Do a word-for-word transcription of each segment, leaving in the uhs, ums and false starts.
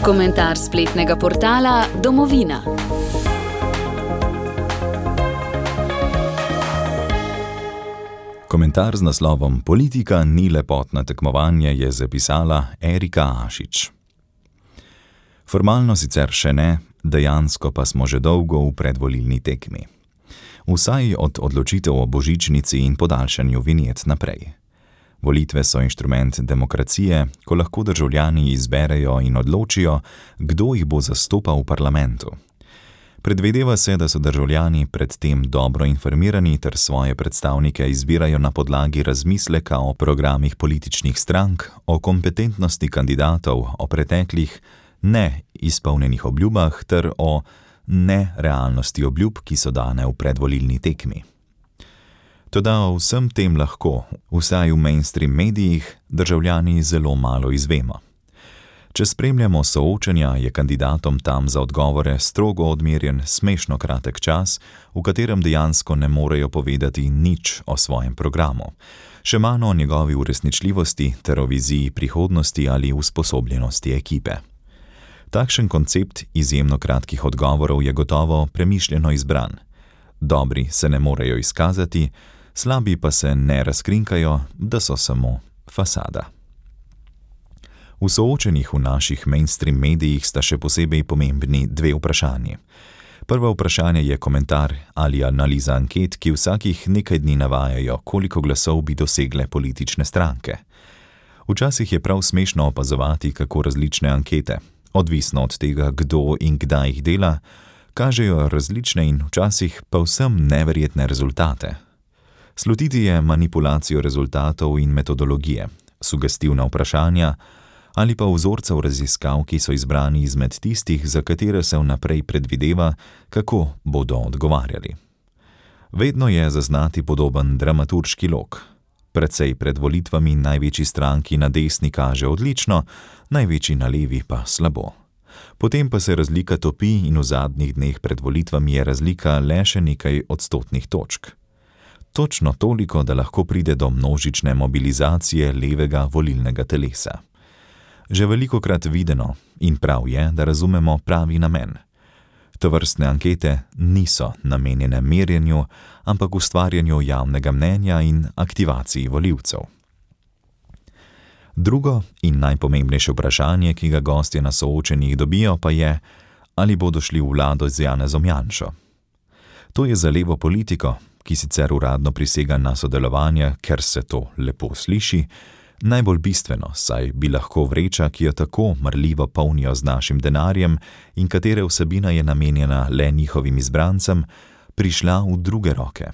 Komentar spletnega portala Domovina. Komentar z naslovom Politika ni lepotno tekmovanje je zapisala Erika Ašič. Formalno sicer še ne, dejansko pa smo že dolgo v predvolilni tekmi. Vsaj od odločitev o božičnici in podaljšanju vinjet naprej. Volitve so inštrument demokracije, ko lahko državljani izberejo in odločijo, kdo jih bo zastopal v parlamentu. Predvideva se, da so državljani predtem dobro informirani ter svoje predstavnike izbirajo na podlagi razmisleka o programih političnih strank, o kompetentnosti kandidatov, o preteklih ne izpolnjenih obljubah ter o nerealnosti obljub, ki so dane v predvolilni tekmi. Toda o vsem tem lahko, vsaj v mainstream medijih, državljani zelo malo izvemo. Če spremljamo soočenja, je kandidatom tam za odgovore strogo odmerjen smešno kratek čas, v katerem dejansko ne morejo povedati nič o svojem programu, še manj o njegovi uresničljivosti ter o viziji prihodnosti ali usposobljenosti ekipe. Takšen koncept izjemno kratkih odgovorov je gotovo premišljeno izbran. Dobri se ne morejo izkazati, slabi pa se ne razkrinkajo, da so samo fasada. V soočenjih v naših mainstream medijih sta še posebej pomembni dve vprašanji. Prvo vprašanje je komentar ali analiza anket, ki vsakih nekaj dni navajajo, koliko glasov bi dosegle politične stranke. Včasih je prav smešno opazovati, kako različne ankete, odvisno od tega, kdo in kdaj jih dela, kažejo različne in včasih pa vsem neverjetne rezultate. Slutiti je manipulacijo rezultatov in metodologije, sugestivna vprašanja ali pa vzorcev raziskav, ki so izbrani izmed tistih, za katere se vnaprej predvideva, kako bodo odgovarjali. Vedno je zaznati podoben dramaturški lok. Precej pred volitvami največji stranki na desni kaže odlično, največji na levi pa slabo. Potem pa se razlika topi in v zadnjih dneh pred volitvami je razlika le še nekaj odstotnih točk. Točno toliko, da lahko pride do množične mobilizacije levega volilnega telesa. Že velikokrat videno in prav je, da razumemo pravi namen. Tovrstne ankete niso namenjene merjenju, ampak ustvarjanju javnega mnenja in aktivaciji volivcev. Drugo in najpomembnejše vprašanje, ki ga gostje na soočenjih dobijo, pa je, ali bodo šli v vlado z Janezom Janšo. To je za levo politiko, ki sicer uradno prisega na sodelovanje, ker se to lepo sliši, najbolj bistveno, saj bi lahko vreča, ki jo tako marljivo polnijo z našim denarjem in katere vsebina je namenjena le njihovim izbrancem, prišla v druge roke.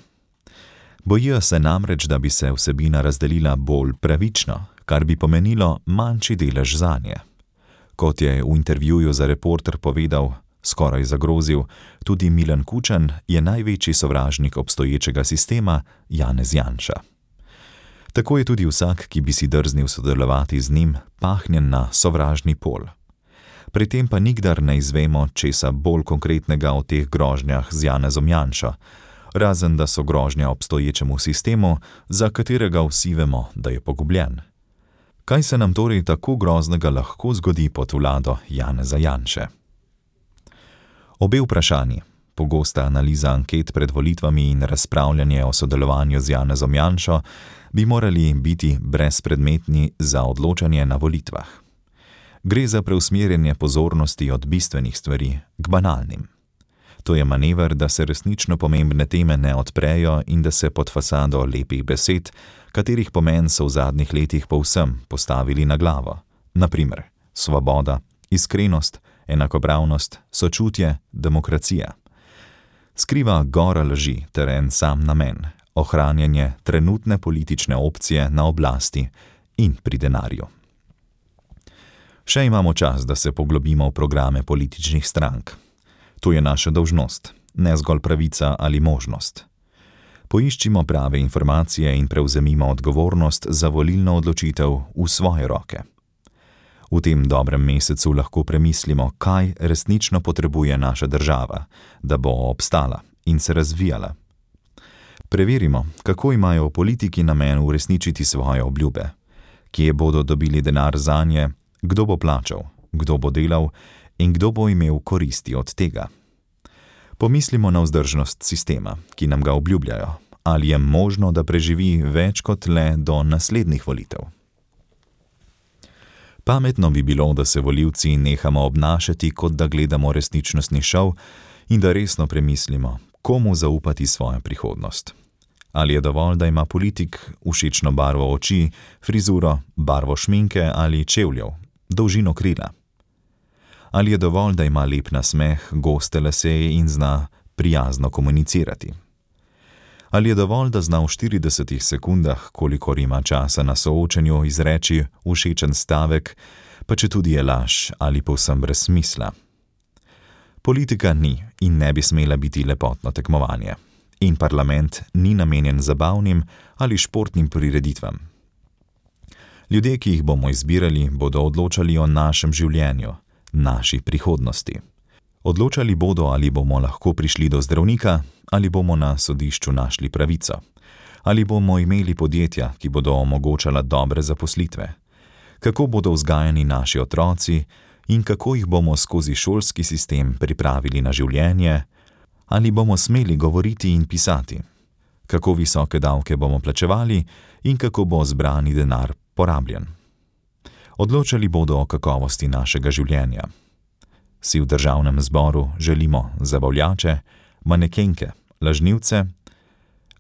Bojijo se namreč, da bi se vsebina razdelila bolj pravično, kar bi pomenilo manjši delež zanje. Kot je v intervjuju za Reporter povedal, skoraj zagrozil, tudi Milan Kučan je največji sovražnik obstoječega sistema Janez Janša. Tako je tudi vsak, ki bi si drznil sodelovati z njim, pahnjen na sovražni pol. Pri tem pa nikdar ne izvemo česa bolj konkretnega o teh grožnjah z Janezom Janšo, razen da so grožnja obstoječemu sistemu, za katerega vsi vemo, da je pogubljen. Kaj se nam torej tako groznega lahko zgodi pod vlado Janeza Janše? Obe vprašanji, pogosta analiza anket pred volitvami in razpravljanje o sodelovanju z Janezom Janšo, bi morali biti brezpredmetni za odločanje na volitvah. Gre za preusmerjanje pozornosti od bistvenih stvari k banalnim. To je manever, da se resnično pomembne teme ne odprejo in da se pod fasado lepih besed, katerih pomen so v zadnjih letih povsem postavili na glavo. Naprimer, svoboda, iskrenost, enakopravnost, sočutje, demokracija. Skriva gora laži ter en sam namen, ohranjanje trenutne politične opcije na oblasti in pri denarju. Še imamo čas, da se poglobimo v programe političnih strank. To je naša dolžnost, ne zgolj pravica ali možnost. Poiščimo prave informacije in prevzemimo odgovornost za volilno odločitev v svoje roke. V tem dobrem mesecu lahko premislimo, kaj resnično potrebuje naša država, da bo obstala in se razvijala. Preverimo, kako imajo politiki namen uresničiti svoje obljube, kje bodo dobili denar zanje, Kdo bo plačal, kdo bo delal in kdo bo imel koristi od tega? Pomislimo na vzdržnost sistema, ki nam ga obljubljajo. Ali je možno, da preživi več kot le do naslednjih volitev? Pametno bi bilo, da se volivci nehamo obnašati, kot da gledamo resničnostni šov in da resno premislimo, komu zaupati svojo prihodnost. Ali je dovolj, da ima politik všečno barvo oči, frizuro, barvo šminke ali čevljev, dolžino krila? Ali je dovolj, da ima lep nasmeh, goste lase in zna prijazno komunicirati? Ali je dovolj, da zna v štiridesetih sekundah, kolikor ima časa na soočenju, izreči všečen stavek, pa četudi je laž ali povsem brez smisla? Politika ni in ne bi smela biti lepotno tekmovanje. In parlament ni namenjen zabavnim ali športnim prireditvam. Ljudje, ki jih bomo izbirali, bodo odločali o našem življenju, naši prihodnosti. Odločali bodo, ali bomo lahko prišli do zdravnika, ali bomo na sodišču našli pravico, ali bomo imeli podjetja, ki bodo omogočala dobre zaposlitve, kako bodo vzgajani naši otroci in kako jih bomo skozi šolski sistem pripravili na življenje, ali bomo smeli govoriti in pisati, kako visoke davke bomo plačevali in kako bo zbrani denar porabljen. Odločali bodo o kakovosti našega življenja. Si v državnem zboru želimo zabavljače, manekenke, lažnivce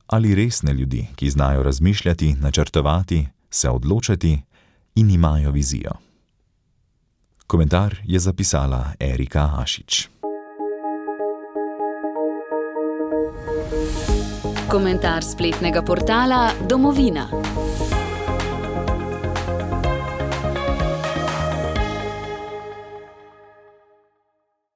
ali resne ljudi, ki znajo razmišljati, načrtovati, se odločati in imajo vizijo. Komentar je zapisala Erika Ašič. Komentar spletnega portala Domovina.